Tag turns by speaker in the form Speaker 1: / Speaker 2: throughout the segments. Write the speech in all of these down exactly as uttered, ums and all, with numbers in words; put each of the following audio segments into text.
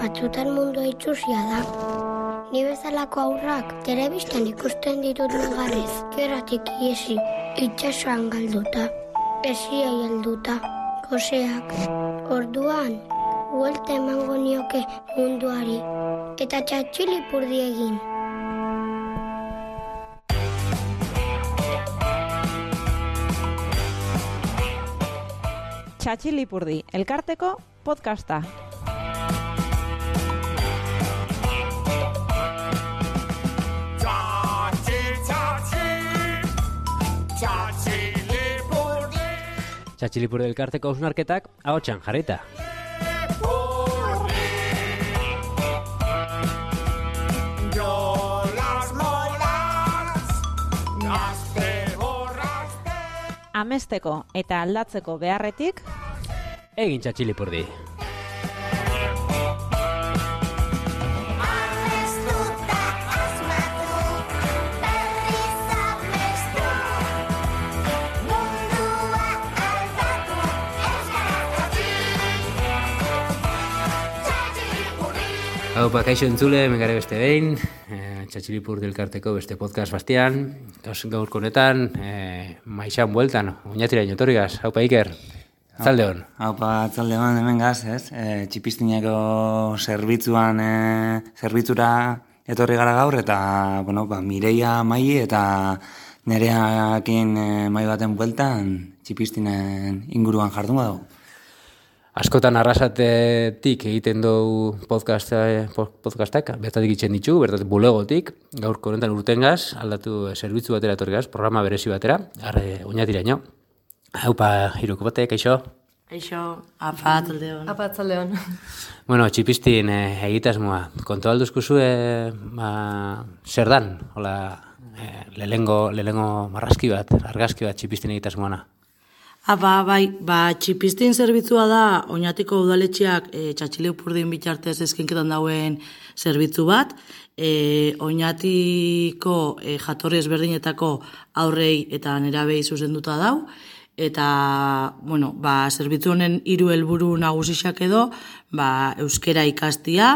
Speaker 1: batzutan mundua itxusia da. Ni bezalako aurrak telebistan ikusten ditut negarrez, gerratik iesi, itxasoan galduta, esiai helduta, goseak. Orduan, buelta emango nioke munduari, eta txatxilipurdi egin.
Speaker 2: Txatxilipurdi, elkarteko podcasta.
Speaker 3: Txatxilipurdi elkarteko hausnarketak ahotsan jarrita.
Speaker 2: Amesteko eta aldatzeko beharretik
Speaker 3: egin txatxilipurdi. Hau, kaixo entzule, megare beste behin, e, Txatxilipurdi elkarteko beste podcast bastian, gaurko honetan, e, maixan bueltan, oinatira inotorigaz, haupa Iker, zalde hon.
Speaker 4: Haupa, zalde hon, hemen gaz, ez? E, txipistineko zerbitzuan, e, zerbitzura etorri gara gaur, eta, bueno, ba, Mireia Mai eta Nereakin e, mai baten bueltan, txipistinen inguruan jardungo dugu.
Speaker 3: Askotan arrasatetik egiten dugu podcast, podcastak, bertatik itzen ditugu, bertatik bulegotik, gaurko honetan urtengaz, aldatu zerbitzu batera etorri gaz, programa berezi batera, arre oinatiraino. Haupa, hiruko bate, kaixo?
Speaker 5: Kaixo, apa, tzaldeon. Apa, tzaldeon.
Speaker 3: Bueno, txipistin eh, egitasmoa, kontu alduzkuzu, eh, ba, zer dan, hola, eh, lehengo, lehengo marrazki bat, argazki bat txipistin egitasmoana.
Speaker 5: Apa, bai, ba, txipistin zerbitzua da, Oñatiko udaletxeak e, Txatxilipurdin bitartez eskinketan dauen zerbitzu bat, e, Oñatiko e, jatorri ezberdinetako aurrei eta nerabei zuzenduta dau, eta, bueno, ba, zerbitzu honen hiru helburu nagusiak edo, ba, euskera ikastia,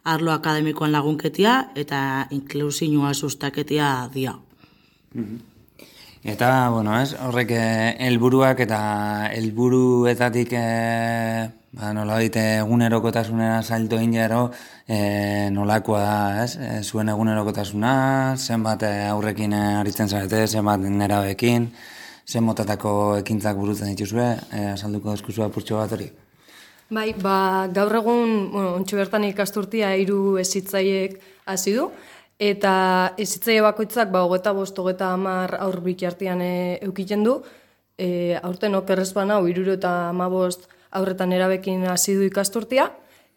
Speaker 5: arlo akademikoan lagunketia, eta inklusioa sustaketia dia.
Speaker 4: Mm-hmm. Eta, bueno, ez, horrek helburuak eta helburuetatik e, ba, nola dite egunerokotasunera salto egin jaro e, nolakoa da, ez? E, zuen egunerokotasuna, zenbat aurrekin aritzen zarete, zenbat nerabeekin, zen motatako ekintzak burutzen dituzue, e, azalduko dezkuzu apurtxo bat hori?
Speaker 6: Bai, ba, gaur egun, bueno, ontsu bertan ikasturtia hiru hezitzaileek hasi du, eta hezitzaile bakoitzak ba hogeita bost hogeita hamar aur bitartean e, eukiten du. E, aurten okerrez bana hirurogeita hamabost aurretan erabekin hasi du ikasturtea,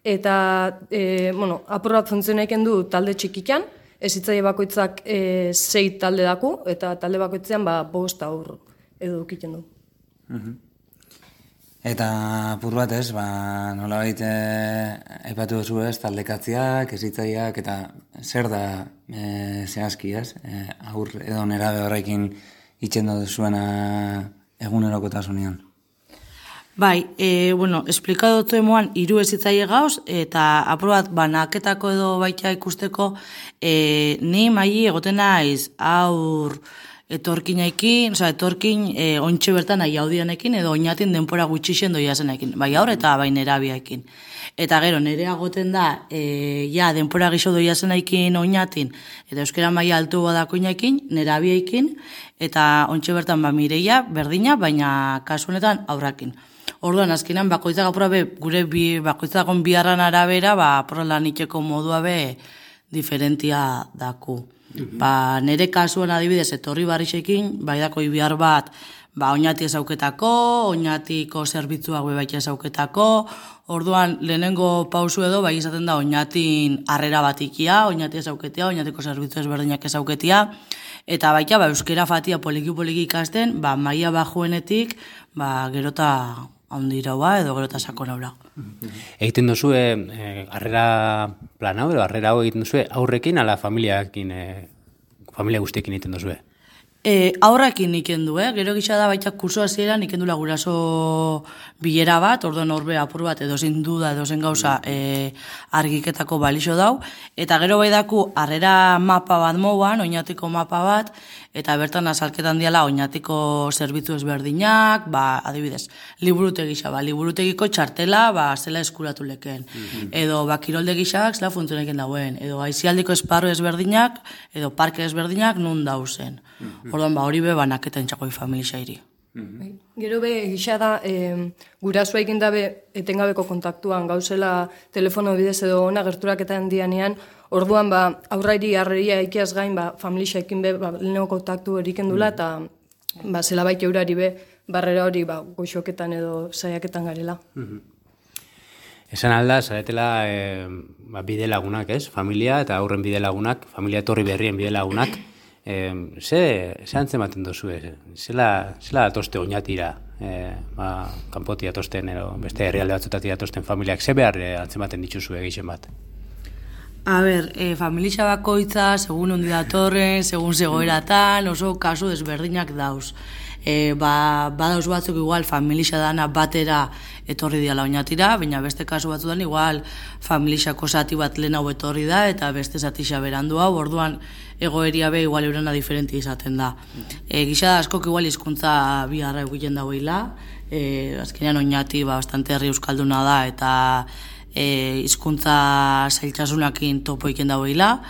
Speaker 6: eta e, bueno, apur bat funtzionaiken du talde txikikan, hezitzaile bakoitzak e, sei talde daku, eta talde bakoitzean ba bost aur edo eukiten du.
Speaker 4: Uh-huh. Eta apur bat ez, ba, nola baita aipatu duzu ez, taldekatziak, hezitzaileak, eta zer da e, zehazki ez, e, aur edo nerabe horrekin itxendo duzuena egunerokotasunean?
Speaker 5: Bai, e, bueno, esplikadotzu emoan hiru hezitzaile gauz, eta apur bat banaketako edo baita ikusteko, e, ni mai egoten naiz aur etorkinaikin, oza, etorkin e, ontxe bertan nahi audianekin edo oinatin denpora gutxixen doiazenekin, bai aur eta bai nerabiaekin. Eta gero, nerea goten da, e, ja, denpora gixo doiazenekin oinatin, eta euskera maila altu badako inaikin, nerabiaekin, eta ontxe bertan ba Mireia, berdina, baina kasu honetan aurrakin. Orduan, azkenan, bakoitzak apura be, gure bi, bakoitzakon biharran arabera, ba, apura lan itxeko modua be, diferentia daku. Ba, nere kasuan adibidez etorri barrixekin, bai dako ibihar bat, ba, oinati ezauketako, oinatiko zerbitzuak bebaita ezauketako, orduan lehenengo pausu edo, bai izaten da oinatin harrera batikia, oinati ezauketia, oinatiko zerbitzu ezberdinak ezauketia, eta baita, ba, euskera fatia poliki-poliki ikasten, ba, maila bajuenetik, ba, gerota handirau edo gerota sakonaura.
Speaker 3: Egiten duzu, eh, harrera plan hau, edo harrera hau egiten duzu aurrekin ala familiakin, eh, familia guztiekin egiten duzu?
Speaker 5: E, aurrakin ikendu, eh? Gero gisa da baita kurso hasieran ikendula guraso bilera bat, orduan horbe apur bat edozein duda, edozein gauza e, argiketako balixo dau, eta gero bai daku harrera mapa bat mouan, oinatiko mapa bat, eta bertan azalketan diala oinatiko zerbitzu ezberdinak, ba, adibidez, liburutegi gisa, ba, liburutegiko txartela, ba, zela eskuratu leken, mm-hmm. edo, ba, kirolde gisak, zela funtzioneken dauen, edo, aizialdiko esparru ezberdinak, edo parke ezberdinak nun dauzen. Mm-hmm. Orduan, ba, hori be, banaketa entxakoi familiairi.
Speaker 6: Mm-hmm. Gero be, gisa da, e, gurasua egin dabe etengabeko kontaktuan, gauzela telefono bidez edo ona gerturaketan dianean, orduan, ba, aurrairi harreria ikiaz gain, ba, familia ekin be, ba, leheneko kontaktu eriken dula, eta, ba, zela baita eurari be, barrera hori, ba, goxoketan edo saiaketan garela.
Speaker 3: Mm-hmm. Esan alda, zaretela e, ba, bide lagunak, ez? Familia eta aurren bide lagunak, familia etorri berrien bide lagunak, Eh, ze, ze antzematen dozu, eh? zela, zela atoste oinatira, eh, ba, kanpoti atosten, edo beste herrialde batzutatik atosten familiak, ze behar eh, antzematen dituzu egiten bat?
Speaker 5: A ber, e, familia bakoitza, segun ondi datorren, segun zegoeratan, oso kasu desberdinak dauz. E, ba, badauz batzuk igual familia dana batera etorri diala oinatira, baina beste kasu batzudan igual familiako zati bat lehen hau etorri da, eta beste zati berandu hau, orduan egoeria be igual eurena diferenti izaten da. E, gisa da askok igual hizkuntza biharra egiten dagoela, e, azkenean oinati ba, bastante herri euskalduna da, eta e, hizkuntza zailtasunakin topo iken dagoela,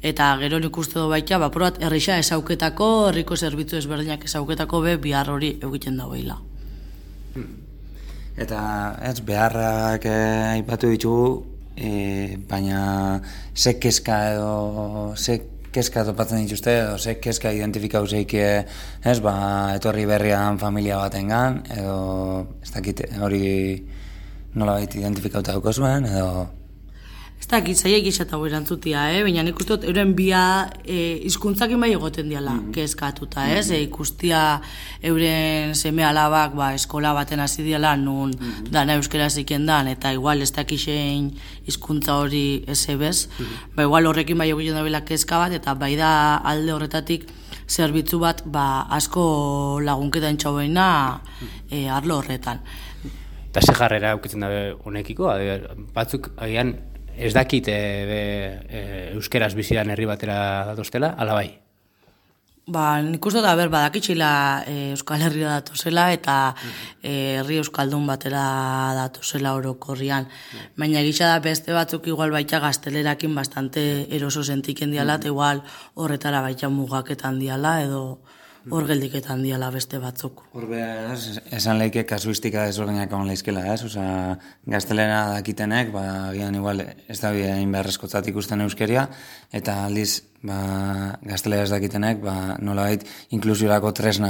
Speaker 5: eta gero nik uste du baita, ba, probat erreixa esauketako, herriko zerbitzu ezberdinak esauketako be bihar hori egiten dagoela.
Speaker 4: Eta ez beharrak eh, aipatu ditugu, eh, baina ze kezka edo ze kezka topatzen dituzte, edo ze kezka identifikau zeik ez, ba, etorri berrian familia batengan, edo ez dakit hori nola baita identifikauta duko zuen, edo...
Speaker 5: Ez dakit, zaiek izatago erantzutia, eh? Baina nik uste dut, euren bia e, izkuntzakin bai egoten diala, mm-hmm. kezkatuta, ez? Mm-hmm. E, ikustia euren seme alabak ba, eskola baten hasi diala, nun mm-hmm. dana euskera ziken dan, eta igual ez dakixein hizkuntza hori ez ebez, mm-hmm. ba, igual horrekin bai egiten dabela kezka bat, eta bai da alde horretatik zerbitzu bat ba, asko lagunketa entxauena e, arlo horretan.
Speaker 3: Eta ze jarrera aukitzen dabe honekiko, batzuk agian ez dakit e, be, e, euskeraz bizidan herri batera datoztela, ala bai?
Speaker 5: Ba, nik uste da, ber, badakitxila e, Euskal Herria datozela eta e, herri euskaldun batera datozela orokorrian. Baina gisa da beste batzuk igual baita gaztelerakin bastante eroso sentiken diala, eta igual horretara baita mugaketan diala edo hor geldiketan diala beste batzuk.
Speaker 4: Horbe, esan leike kasuistika desberdinak egon leizkela, ez? Osa, gaztelera dakitenek, ba, gian igual ez da hain beharrezkotzat ikusten euskeria, eta aldiz, ba, gaztelera ez dakitenek, ba, nolabait inklusiorako tresna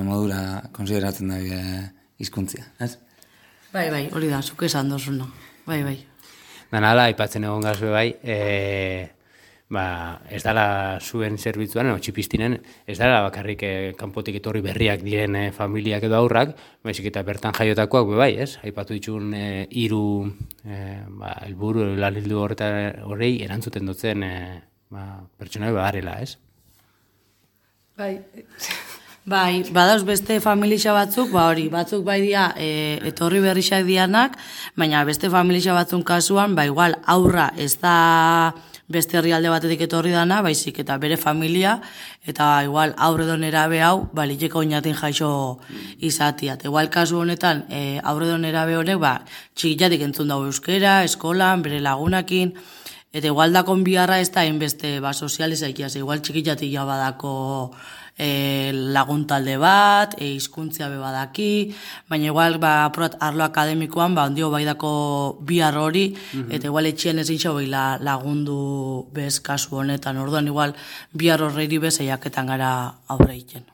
Speaker 4: modura konsideratzen da hizkuntzia, ez?
Speaker 5: Bai, bai, hori da, zuk esan dozuna. Bai, bai.
Speaker 3: Danala, aipatzen egon gazue bai, e... Ba, ez dala zuen zerbitzuan, no, txipistinen, ez dala bakarrik eh, kanpotik etorri berriak diren eh, familiak edo aurrak, baizik eta bertan jaiotakoak be bai, ez? Aipatu ditun eh, hiru eh, ba, helburu lanildu horrei erantzuten dutzen eh, ba, pertsonai bagarela, ez?
Speaker 6: Bai.
Speaker 5: Bai, badauz beste familia batzuk, ba hori, batzuk bai dia e, etorri berrixak dianak, baina beste familia batzun kasuan, ba igual aurra ez da beste herrialde batetik etorri dana, baizik eta bere familia, eta igual aurredo nerabe hau, baliteko oinatin jaixo izatia. Igual kasu honetan, e, aurredo nerabe honek, ba, txikiatik entzun dago euskera, eskolan, bere lagunakin, eta igual dakon biharra ez da hainbeste ba, sozializaikiaz, igual txikiatik ja badako e, laguntalde bat, e, hizkuntzia be badaki, baina igual ba, apurat arlo akademikoan, ba, ondio baidako bihar hori, mm-hmm. eta igual etxien ezin xo la, lagundu bez kasu honetan, orduan igual bihar horreiri bez eiaketan gara aurre egiten.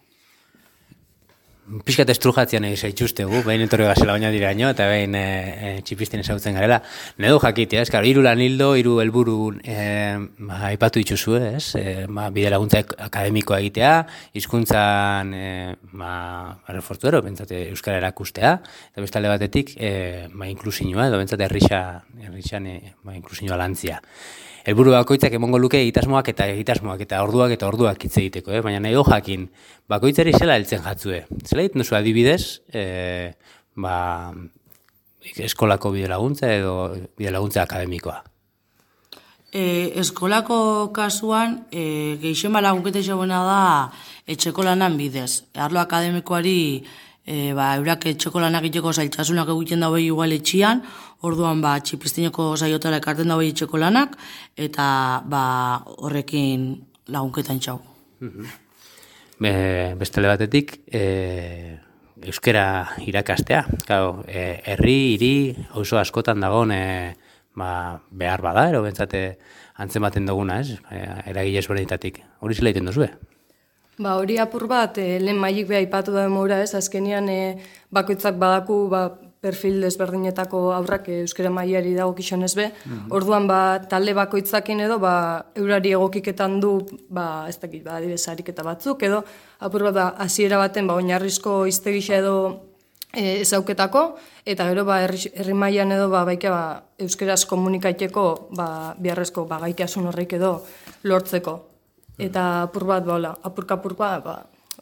Speaker 3: pixkat estrujatzean zaitxustegu, behin etorri gazela baina diraino, eta behin e, e, txipisten ezautzen garela. Nedo jakitea, ez, hiru lan hildo, hiru helburu e, ba, aipatu dituzue, ez, e, ba, bide laguntza akademikoa egitea, hizkuntzan e, ba, refortuero, bentsate euskara erakustea, eta bestalde batetik, e, ba, inklusioa, edo bentsate herrisa, herrisan e, ba, inklusioa lantzia. Helburu bakoitzak emongo luke egitasmoak eta egitasmoak eta orduak eta orduak hitz egiteko, eh? Baina nahi jakin, bakoitzari zela heltzen jatzue. Zela egiten duzu adibidez, e, ba, eskolako bide laguntza edo bide laguntza akademikoa?
Speaker 5: E, eskolako kasuan, e, gehixen lagunketa izabena da etxeko lanan bidez. Arlo akademikoari E, ba, eurak etxeko lanak egiteko zailtasunak egiten daue igual etxian, orduan ba, txipistineko saiotara ekarten daue etxeko lanak, eta ba, horrekin lagunketan txau.
Speaker 3: Be, bestele batetik, e, euskera irakastea. Claro, e, herri, hiri, auzo askotan dagoen e, ba, behar bada, ero bentsate antzematen duguna, ez? E, eragile ezberdinetatik. Hori zela egiten duzue?
Speaker 6: Ba, hori apur bat, e, lehen maik beha ipatu da demora, ez, azkenian e, bakoitzak badaku ba, perfil desberdinetako aurrak e, euskera mailari dago kixonez be, mm-hmm. Orduan ba, talde bakoitzakin edo ba, eurari egokiketan du, ba, ez dakit, ba, adibes ariketa batzuk, edo apur bat da, hasiera baten, ba, oinarrizko iztegisa edo e, ezauketako, eta gero ba, herri, herri mailan edo ba, baike ba, euskeraz komunikaiteko ba, biharrezko ba, gaitasun horrek edo lortzeko. Eta apur bat, ba, apurka-apurka, ba,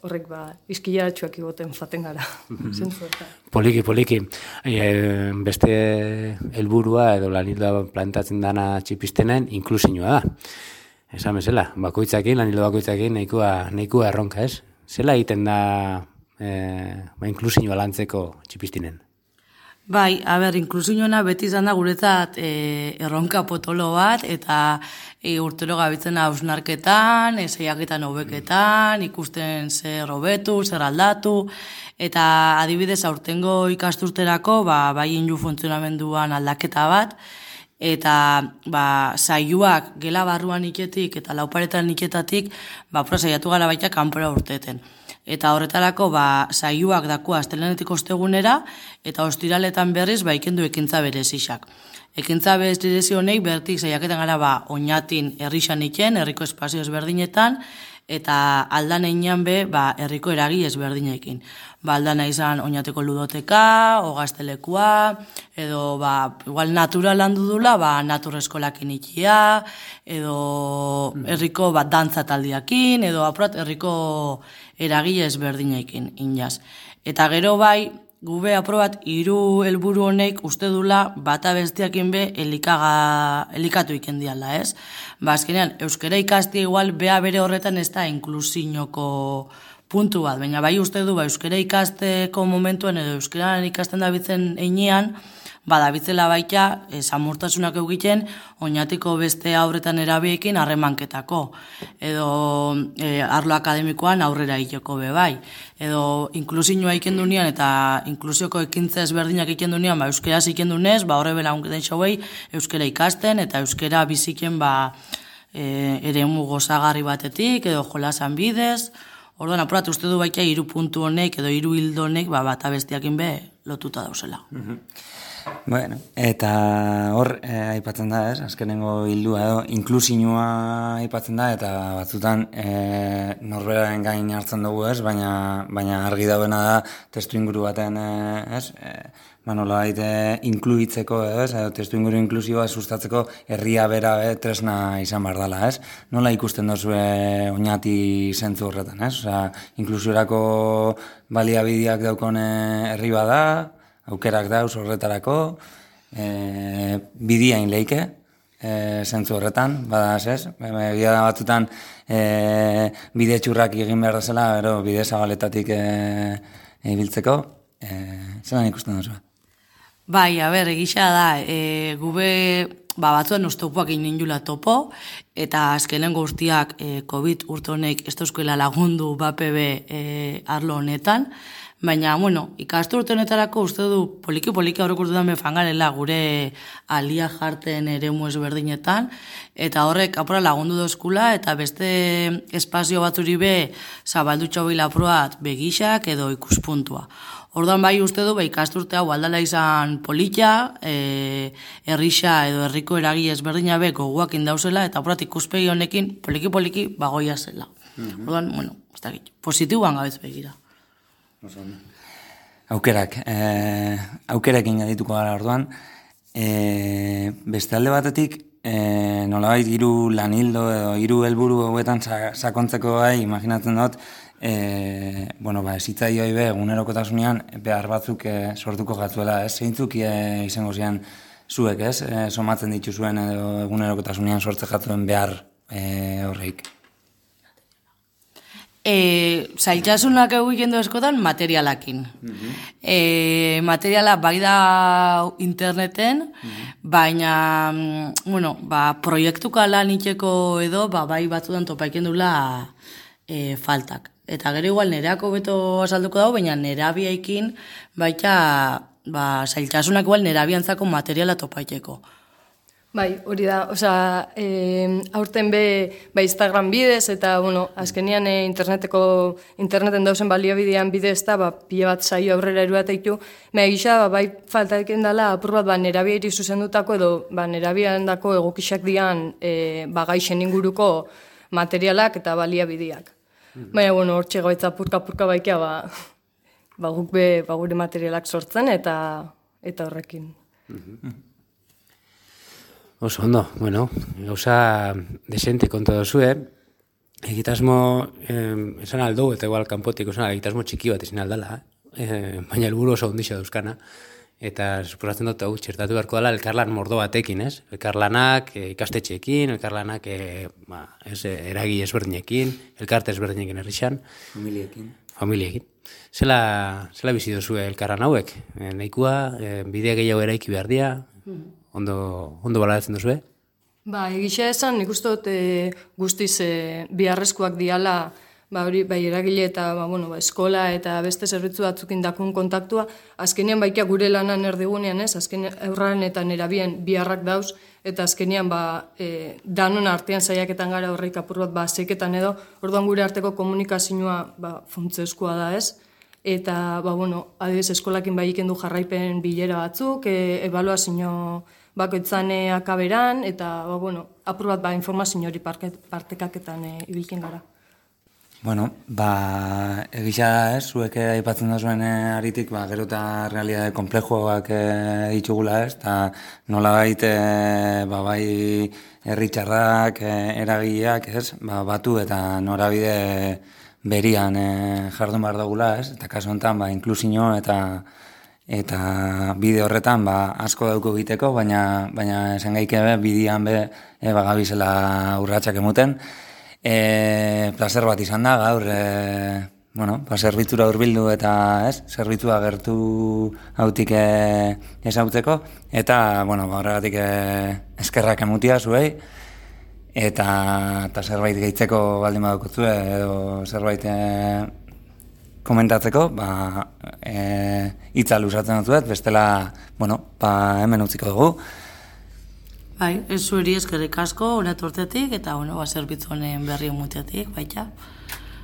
Speaker 6: horrek, ba, izkilaratxuak igoten faten gara.
Speaker 3: Poliki, poliki. E, beste helburua edo lanildoa plantatzen dana txipistenen inklusioa da. Esan bezala, bakoitzakin, lanildo bakoitzakin, nahikoa, nahikoa erronka, ez? Zela egiten da e, ba, inklusioa lantzeko txipistinen?
Speaker 5: Bai, a ber, inklusioa beti izan da guretzat e, erronka potolo bat, eta e, urtero gabitzen hausnarketan, eseiaketan hobeketan, ikusten zer hobetu, zer aldatu, eta adibidez aurtengo ikasturterako, ba, bai inju funtzionamenduan aldaketa bat, eta ba, saioak gela barruan iketik eta lauparetan iketatik, ba, pro saiatu gara baita kanpora urteten. Eta horretarako ba, saioak daku astelenetik ostegunera, eta ostiraletan berriz ba, ikendu ekintza berezixak. Ekintza berezi honek bertik saiaketan gara ba, oinatin herrixan iken, herriko espazio ezberdinetan, eta aldan einean be ba, herriko eragi ezberdinekin. Ba, aldana izan oinateko ludoteka, ogaztelekua, edo ba, igual natural handu dula, ba, natureskolak inikia, edo herriko ba, dantza taldiakin, edo apurat herriko eragile ezberdinekin inaz. Eta gero bai, gube aprobat hiru helburu honek uste dula bata bestiakin be elikaga, elikatu ikendiala, ez? Ba, azkenean, euskera ikastia igual bea bere horretan ez da inklusiñoko puntu bat, baina bai uste du ba, euskera ikasteko momentuen edo euskera ikasten da bitzen einean, badabitzela baita, e, samurtasunak egiten, oinatiko beste aurretan erabiekin harremanketako. Edo e, arlo akademikoan aurrera iteko be bai. Edo inklusioa ikendu nian eta inklusioko ekintza ezberdinak ikendu nian, ba, euskeraz ikendu nez, ba, horre bela unketen xauei, euskera ikasten eta euskera biziken ba, e, ere gozagarri batetik, edo jolasan bidez. Orduan, apurat, uste du baita hiru puntu honek edo hiru hildo honek ba, bata bestiakin be lotuta dauzela.
Speaker 4: Mm-hmm. Bueno, eta hor eh, aipatzen da, ez? Azkenengo hildua edo inklusioa aipatzen da eta batzutan eh, norberaren gain hartzen dugu, ez? Baina, baina argi dauena da testu inguru baten, eh, ez? Eh, ba, nola baite inkluitzeko, ez? Edo testu inguru inklusioa sustatzeko herria bera eh, tresna izan behar dela, ez? Nola ikusten duzue oinati zentzu horretan, ez? Osea, inklusiorako baliabideak daukone herri bada, aukerak dauz horretarako, e, bidiain leike, e, zentzu horretan, bada ez, egia da batzutan e, bide txurrak egin behar dazela, ero bide zabaletatik e, ibiltzeko, e, zelan ikusten duzu?
Speaker 5: Bai, a ber, egisa da, e, gube ba, batzuen oztopuak inen jula topo, eta azkenen guztiak e, COVID urte honek ez dauzkoela lagundu B A P B e, arlo honetan, Baina, bueno, ikasturte honetarako uste du poliki-poliki aurreko urtetan befangarela gure alia jarten eremu ezberdinetan, eta horrek apura lagundu dozkula, eta beste espazio batzuri be zabaldu txobila apurat begixak edo ikuspuntua. Orduan bai uste du, bai ikasturte hau aldala izan politia, e, herrixa edo herriko eragi ezberdina be goguak indauzela, eta apurat ikuspegi honekin poliki-poliki bagoia zela. Mm-hmm. Orduan, bueno, ez da gitu, positiboan gabez begira.
Speaker 4: Aukerak, eh, aukerekin gadituko gara orduan. Eh, beste alde batetik, eh, nolabait hiru lanildo edo hiru helburu hauetan sakontzeko gai, imaginatzen dut, eh, bueno, ba, esitzaioi be, egunerokotasunean behar batzuk eh, sortuko gatzuela, ez? Zeintzuk eh, izango zian zuek, ez? Eh, somatzen dituzuen edo egunerokotasunean sortze jatzuen behar eh, horreik.
Speaker 5: E, zailtasunak egiten du eskotan materialakin. Mm-hmm. E, materiala bai da interneten, mm-hmm. baina, bueno, ba, proiektuka lan itxeko edo, ba, bai batzutan topaiken dula e, faltak. Eta gero igual nereako beto azalduko dago, baina nerabiaikin baita, ba, zailtasunak igual nerabiantzako materiala topaiteko.
Speaker 6: Bai, hori da, osea, e, aurten be, ba, Instagram bidez, eta, bueno, azkenian e, interneteko, interneten dauzen baliabidean bidez, eta, ba, pila bat saio aurrera eruat eitu, mea gisa, ba, bai, falta eken dela, apur bat, ba, nerabiairi zuzendutako, edo, ba, nerabian dako egokixak dian, e, ba, gaixen inguruko materialak eta baliabideak. Mm-hmm. Baina, bueno, hor txegoetza purka-purka baikia, ba, ba, guk be, ba, gure materialak sortzen, eta, eta horrekin.
Speaker 3: Mm-hmm. Oso ondo, bueno, gauza desente konta dozue, egitasmo, eh, esan aldo, eta igual kanpotik, esan egitasmo txiki bat izan aldala, eh, baina helburu oso ondixo dauzkana, eta suposatzen dut hau txertatu beharko dela elkarlan mordo batekin, ez? Elkarlanak eh, ikastetxeekin, elkarlanak eh, ba, ez, eragi ezberdinekin, elkarte ezberdinekin herrixan.
Speaker 4: Familiekin.
Speaker 3: Familiekin. Zela, zela bizi dozue elkarlan hauek? E, nahikoa, e, bidea gehiago eraiki behar dira, mm-hmm. Ondo, ondo balatzen duzu, eh?
Speaker 6: Ba, egisa esan, nik uste dut e, guztiz e, biharrezkoak diala, ba, hori, bai, eragile eta, ba, bueno, ba, eskola eta beste zerbitzu batzukin dakun kontaktua, azkenean baikia gure lanan erdigunean, ez? Azkenean eurraren eta nerabien biharrak dauz, eta azkenean, ba, e, danon artean saiaketan gara horreik apur bat, ba, zeiketan edo, orduan gure arteko komunikazioa, ba, funtsezkoa da, ez? Eta, ba, bueno, adibidez, eskolakin bai ikendu jarraipen bilera batzuk, e, ebaluazio bakoitzan akaberan, eta, ba, bueno, apur bat, ba, informazio hori partekaketan e, ibilken gara.
Speaker 4: Bueno, ba, egisa da, ez, zuek aipatzen da zuen aritik, ba, gero eta realidade komplejoak e, ditugula, ez, eta nola baita, e, ba, bai, herritxarrak, e, eragileak, ez, ba, batu eta norabide berian e, jardun behar dugula, ez? Eta kasu honetan, ba, inklusio eta eta bide horretan ba, asko dauko egiteko, baina baina esan gaike be, bidean be, e, bagabizela urratsak emuten. E, placer bat izan da, gaur, e, bueno, ba, zerbitzura hurbildu eta, ez, zerbitzua gertu hautik e, ezautzeko, eta, bueno, ba, horregatik e, eskerrak emutia zuei, Eta, eta zerbait gehitzeko baldin badukotzue, edo zerbait e, komentatzeko, ba, e, hitza luzatzen dut, bestela, bueno, ba, hemen utziko dugu.
Speaker 5: Bai, ez zueri eskerrik asko, honet hortetik, eta, bueno, ba, zerbitzu honen berri mutiatik, baita.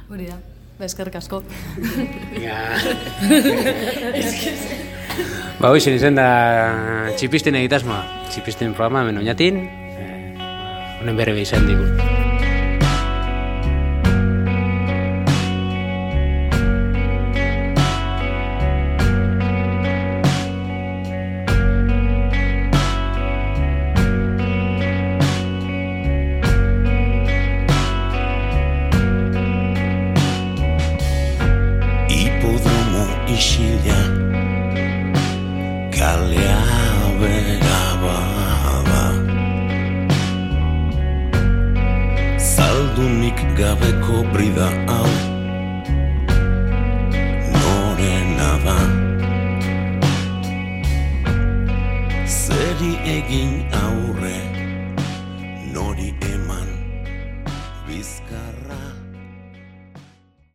Speaker 6: Hori da, ba, eskerrik asko.
Speaker 3: Ba, hoizen izen da txipisten egitasmoa, txipisten programa hemen oinatin, honen berri behizan digun.
Speaker 7: Hipodromo isila, kalea bera bada, zaldunik gabeko brida hau norena da, zeri egin aurre nori eman bizkarra.